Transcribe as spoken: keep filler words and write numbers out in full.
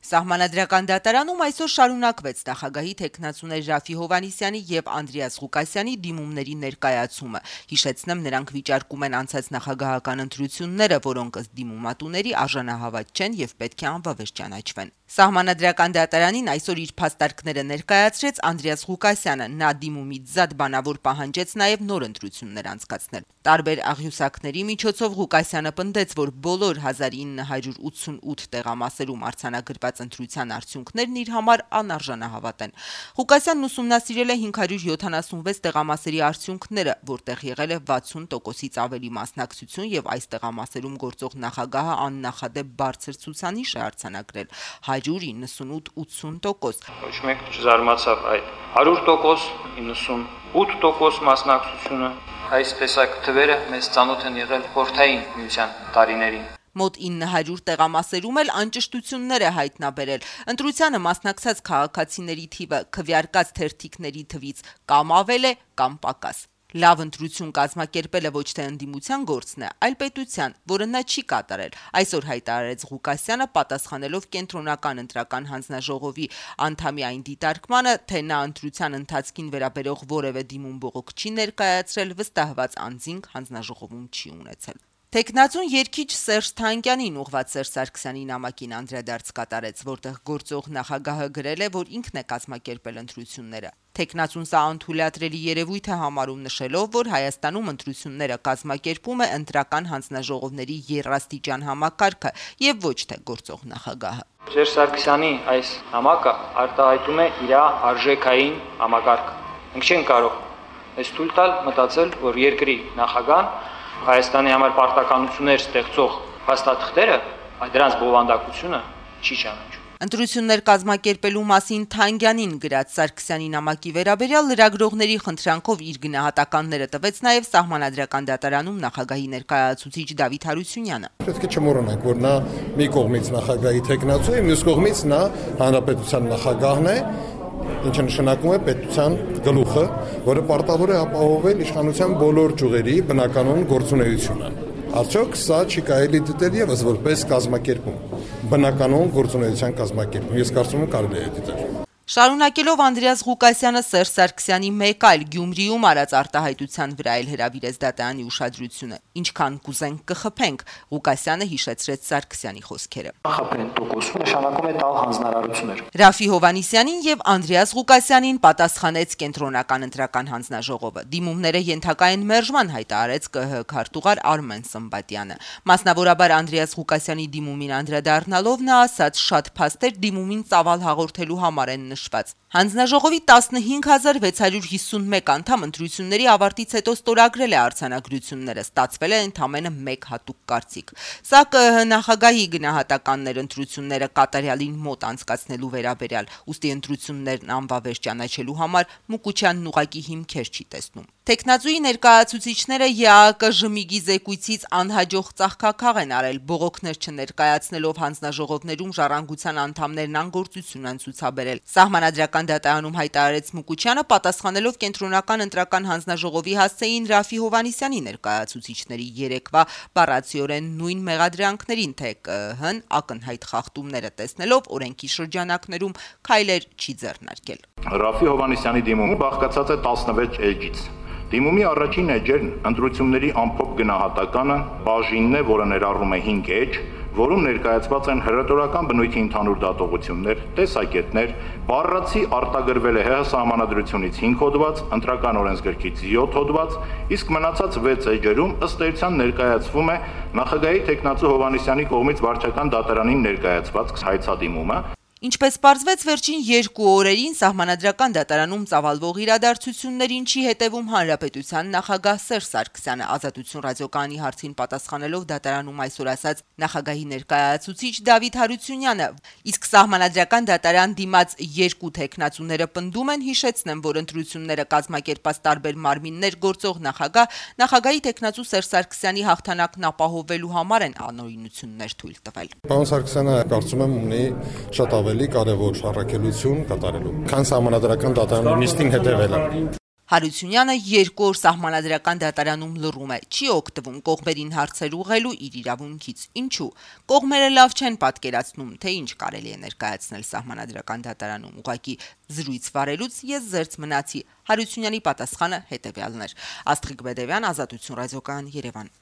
Սահմանադրական դատարանում այսօր շարունակվեց նախագահի թեկնածուներ Ռաֆի Հովհաննիսյանի եւ Անդրեաս Ղուկասյանի դիմումների ներկայացումը։ Հիշեցնեմ, նրանք վիճարկում են անցած նախագահական ընտրությունները, որոնք ըստ դիմումատուների արժանահավատ չեն եւ պետք է անվավեր ճանաչվեն։ Սահմանադրական դատարանին այսօր իր փաստարկները ներկայացրեց Անդրեաս Ղուկասյանը։ Նա դիմումից զատ բանավոր պահանջեց նաեւ նոր ընտրություններ անցկացնել։ Տարբեր աղյուսակների միջոցով Ղուկասյանը պնդեց, որ բոլոր հազար ինը հարյուր ութսունութ տեղամասերում արձանագրված ընտրության արդյունքներն իր համար անարժանահավատ են։ Ղուկասյանն ուսումնասիրել է հինգ հարյուր յոթանասունվեց տեղամասերի արդյունքները, որտեղ եղել է վաթսուն տոկոսից ավելի մասնակցություն եւ այս տեղամասերում գործող նախագահը աննախադեպ բարձր ցուցանիշ է արձանագրել՝ հարյուր իննսունութ ութսուն տոկոս։ Ոչ մեկ չզարմացավ այդ հարյուր տոկոս, իննսունութ տոկոս մասնակցությունը։ Այս տեսակ թվերը մեզ ծանոթ են եղել խորհրդային միության տարիներին։ Մոտ ինը հարյուր տեղամասերում էլ անճշտություններ է հայտնաբերել։ Ընտրությանը մասնակցած քաղաքացիների թիվը քվեարկած թերթիկների թվից կամ ավել է, կամ պակաս։ Լավ ընտրություն կազմակերպելը ոչ թե ընդդիմության գործն է, այլ պետության, որը նա չի կատարել։ Այսօր հայտարարեց Ղուկասյանը, պատասխանելով կենտրոնական ընտրական հանձնաժողովի անդամի այն դիտարկմանը, թե նա ընտրության ընթացքին վերաբերող որևէ դիմում բողոք չի ներկայացրել, վստահված անձինք հանձնաժողովում չի ունեցել։ Թեկնածուն երգիչ Սերժ Թանկյանին ուղղված Սերժ Սարգսյանի նամակին անդրադարձ կատարեց, որտեղ գործող նախագահը գրել է, որ ինքն է կազմակերպել ընտրությունները։ Թեկնածուն սա անթույլատրելի երևույթ է համարում, նշելով, որ Հայաստանում ընտրությունները կազմակերպում է ընտրական հանձնաժողովների եռաստիճան համակարգը եւ ոչ թե գործող նախագահը։ Սերժ Սարգսյանի այս նամակը արտահայտում է իր արժեքային համակարգը։ Մենք չենք կարող այս թույլ տալ մտածել, որ երկրի նախագահան Հայաստանի համար պարտականություններ ստեղծող փաստաթղթերը, այդ դրանց բովանդակությունը չի ճանաչում։ Ընտրություններ կազմակերպելու մասին Թանկյանին գրած Սարգսյանի նամակի վերաբերյալ լրագրողների խնդրանքով իր գնահատականները տվեց նաև Սահմանադրական դատարանում նախագահի ներկայացուցիչ Դավիթ Հարությունյանը։ Պետք է չմոռանանք, որ նա մի կողմից նախագահի թեկնածու է, մյուս կողմից նա հանրապետության նախագահն է, ինչը նշանակում է պետության գլուխը, որը պարտավոր է ապահովել իշխանության բոլոր ճյուղերի բնականոն գործունեությունը։ Արդյոք սա չի կարելի դիտել եւս որպես կազմակերպում, բնականոն գործունեության կազմակերպում։ Ես կարծում եմ կարելի է դիտել։ Շարունակելով Անդրեաս Ղուկասյանը Սերժ Սարգսյանի մեկ այլ Գյումրիում արած արտահայտության վրա էլ հրավիրեց դատարանի ուշադրությունը։ Ինչքան կուզենք կխփենք, Ղուկասյանը հիշեցրեց Սարգսյանի խոսքերը։ Խփեն տոկոսը նշանակում է տալ հանձնարարություններ։ Ռաֆի Հովհաննիսյանին եւ Անդրեաս Ղուկասյանին պատասխանեց կենտրոնական ընտրական հանձնաժողովը։ Դիմումները ենթակա են մերժման, հայտարարեց ԿՀ քարտուղար Արմեն Սմբատյանը։ Մասնավորաբար Անդրեաս Ղուկասյանի դիմումին անդրադառնալով նա ասաց, շատ փաստեր դիմումին ծավալ հաղորդելու համար են նշված։ Հանձնաժողովի տասնհինգ հազար վեց հարյուր հիսունմեկ անդամ ընտրությունների ավարտից հետո ստորագրել է արձանագրությունները, ստացվել է ընդամենը մեկ հատուկ կարծիք։ Սա ԿՀ նախագահի գնահատականներ ընտրությունները կատարյալին մոտ անցկացնելու վերաբերյալ, ուստի ընտրություններն անվավեր ճանաչելու համար Մուկուչյանն ուղղակի հիմքեր չի տեսնում։ Թեկնածուի ներկայացուցիչները ԵԱԿ ժմիգի զեկույցից անհաջող ծաղկակաղ են արել, բողոքներ չներկայացնելով հանձնաժողովներում ժառանգության անդամներն անգործություն են ցուցաբերել։ Սահմանադրական դատարանում հայտարարեց Մուկուչյանը, պատասխանելով կենտրոնական ընտրական հանձնաժողովի հասցեին Ռաֆի Հովհաննիսյանի ներկայացուցիչների երեկվա բառացիորեն նույն մեղադրանքներին, թե ԿՀ-ն ակնհայտ խախտումները տեսնելով օրենքի շրջանակներում քայլեր չի ձեռնարկել։ Ռաֆի Հովհաննիսյանի դիմումը բաղկացած է տասնվեց էջից։ Դիմումի առաջին էջերն ընտրությունների ամփոփ գնահատականը բաժինն է, որը ներառում է հինգ էջ, որում ներկայացված են հռետորական բնույթի ընդհանուր դատողություններ, տեսակետներ, բառացի արտագրվել է ՀՀ սահմանադրությունից հինգ հոդված, ընտրական օրենսգրքից յոթ հոդված, իսկ մնացած վեց էջերում ըստ էության ներկայացվում է նախագահի թեկնածու Հովհաննիսյանի կողմից վարչական դատարանին ներկայացված հայցադիմումը։ Ինչպես պարզվեց վերջին երկու օրերին Սահմանադրական դատարանում ծավալվող իրադարձություններին չի հետևում Հանրապետության նախագահ Սերժ Սարգսյանը։ Ազատություն ռադիոկայանի հարցին պատասխանելով դատարանում այսօր ասաց նախագահի ներկայացուցիչ Դավիթ Հարությունյանը, իսկ Սահմանադրական դատարան դիմաց երկու թեկնածուները պնդում են, հիշեցնեմ, որ ընտրությունները կազմակերպած տարբեր մարմիններ գործող նախագահ նախագահի թեկնածու Սերժ Սարգսյանի հաղթանակն ապահովելու համար են անօրինություններ թույլ տվել։ Պարոն Սարգսյանը կարծում եմ ունի շատ ավելի կարևոր առաքելություն կատարելու, քան Սահմանադրական դատարանի նիստին հետևելը։ Հարությունյանը երկու օր սահմանադրական դատարանում լռում է, չի օգտվում կողմերին հարցեր ուղղելու իր իրավունքից։ Ինչու՞։ Կողմերը լավ չեն պատկերացնում, թե ինչ կարելի է ներկայացնել սահմանադրական դատարանում։ Ուղղակի զրույց վարելուց ես զերծ մնացի։ Հարությունյանի պատասխանը հետևյալն էր։ Աստղիկ Բեդևյան, Ազատություն ռադիոկայան, Երևան։